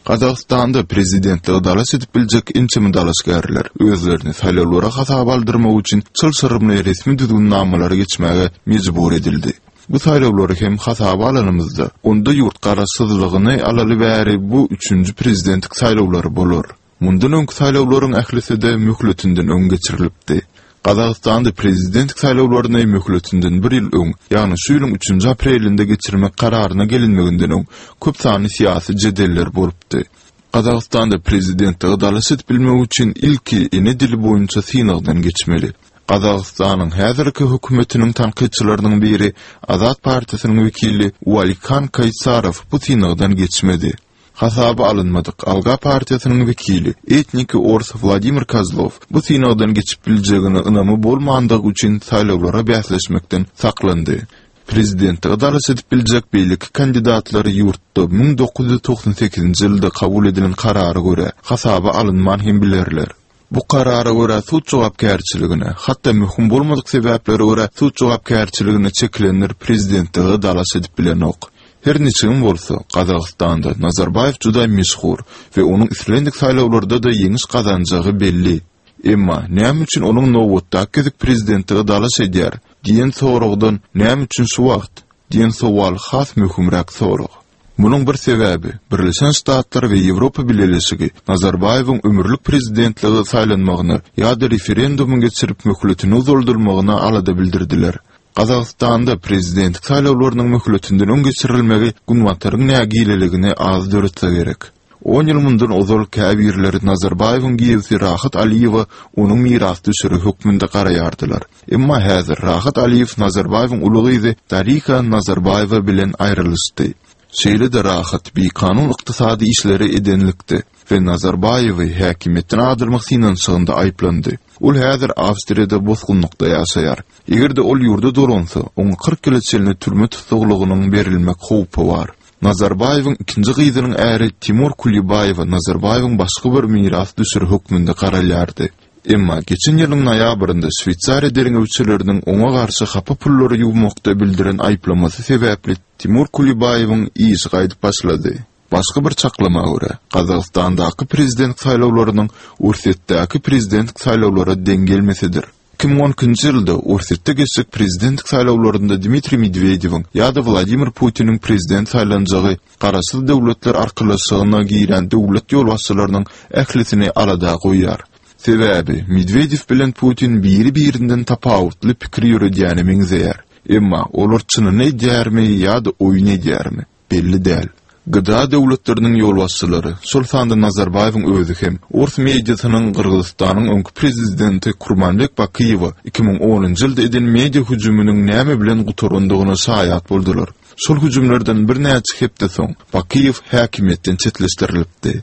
Gazagystanda prezidentlige dalaş edip biljek ençeme dalaşgärler özlerini saýlawlara hasaba aldyrmak üçin çylşyrymly resmi düzgünnamalary geçmäge mejbur edildi. Bu saýlawlary hem hasaba alanymyzda, onda ýurt garaşsyzlygyny alaly bäri bu üçünji prezidentlik saýlawlary bolar. Mundan öňki saýlawlaryň ählisi-de möhletinden öň geçirilipdi. Gazagystanda prezidentlik saýlawlaryny möhletinden bir ýyl öň, ýagny şu ýylyň üçünji aprelinde geçirmek kararyna gelinmeginden öň köp sanly syýasy jedeller bolupdy. Gazagystanda prezidentlige dalaş edip bilmek üçin ilki ene dili boýunça synagdan geçmeli. Gazagystanyň häzirki hökümetiniň tankytçylarynyň biri, Azat partiýasynyň wekili Ualikan Kaýsarow bu synagdan geçmedi. Hasaba alynmadyk Alga partiýasynyň wekili, etniki ors Wladimir Kozlow bu synagdan geçip biljegine ynamy bolmandygy üçin saýlawlara bäsleşmekden saklandy. Prezidentlige dalaş edip biljek beýleki kandidatlar ýurtda 1998-nji ýylda kabul edilen karara görä, hasaba alynman hem bilerler. Bu karara görä sud jogapkärçiligine, hatda möhüm bolmadyk sebäplere görä sud jogapkärçiligine çekilenler prezidentlige dalaş edip bilenok. Her niçigem bolsa, Gazagystanda Nazarbaýew juda meşhur we onuň islendik saýlawlarda-da ýeňiş gazanjagy belli. Emma, näme üçin onuň nobatdaky gezek prezidentlige dalaş edýär? diýen soragdan näme üçin şu wagt? diýen sowal has möhümräk sorag. Munuň bir sebäbi, Birleşen Ştatlar we Ýewropa Bileleşigi Nazarbaýewiň ömürlik prezidentlige saýlanmagyna ýa-da referendumyň geçirip möhletini uzaldylmagyna alada bildirdiler. Gazagystanda prezidentlik saýlawlarynyň möhletinden öň geçirilmegi Günbataryň nägileligini az döretse gerek. On ýyl mundan ozal käbirleri Nazarbaýewiň giýewsi Rahat Aliýewe onuň mirasdüşeri hökmünde garaýardylar. Emma häzir Rahat Aliýew Nazarbaýewiň uly gyzy Darika Nazarbaýewa bilen aýrylyşdy. Şeýle-de Rahat bikanun ykdysady işleri edenlikde we Nazarbaýewi häkimiýetden agdarmak synanyşygynda aýyplandy. Ol häzir Awstriýada bosgunlykda ýaşaýar. Eger-de ol ýurda dolansa, oňa 40 ýyla çenli türme tussaglygynyň berilmek howpy bar. Nazarbaýewiň ikinji gyzynyň äri Timur Kulibaýewe Nazarbaýewiň başga bir mirasdüşeri hökmünde garalýardy. Emma geçen ýylyň noýabrynda Şweýsariýa derňewçileriniň oňa garşy hapa pullary ýuwmakda bildiren aýyplamasy sebäpli Timur Kulibaýewiň işi gaýdyp başlady. Başga bir çaklama görä, Gazagystandaky prezident saýlawlarynyň Orsýetdäki prezident saýlawlara deň gelmesidir. 2012-nji ýylda Orsýetde geçjek prezidentlik saýlawlarynda Dmitriý Medwedewiň ýa-da Wladimir Putiniň prezident saýlanjagy Garaşsyz Döwletler Arkalaşygyna girýän döwlet ýolbaşçylarynyň ählisini alada goýýar. Sebäbi, Medwedew bilen Putin biri-birinden tapawutly pikir ýöredýäne meňzeýär. Emma olar çynyny edýärmi ýa-da oýun edýärmi? Belli däl. GDA döwletleriniň ýolbaşçylary, şol sanda Nazarbaýewiň özi hem, ors mediasynyň Gyrgyzystanyň öňki prezidenti Kurmanbek Bakyýewe 2010-njy ýylda eden media hüjüminiň näme bilen gutarandygyna şaýat boldular. Şol hüjümlerden birnäçe hepde soň, Bakyýew häkimiýetden çetleşdirilipdi.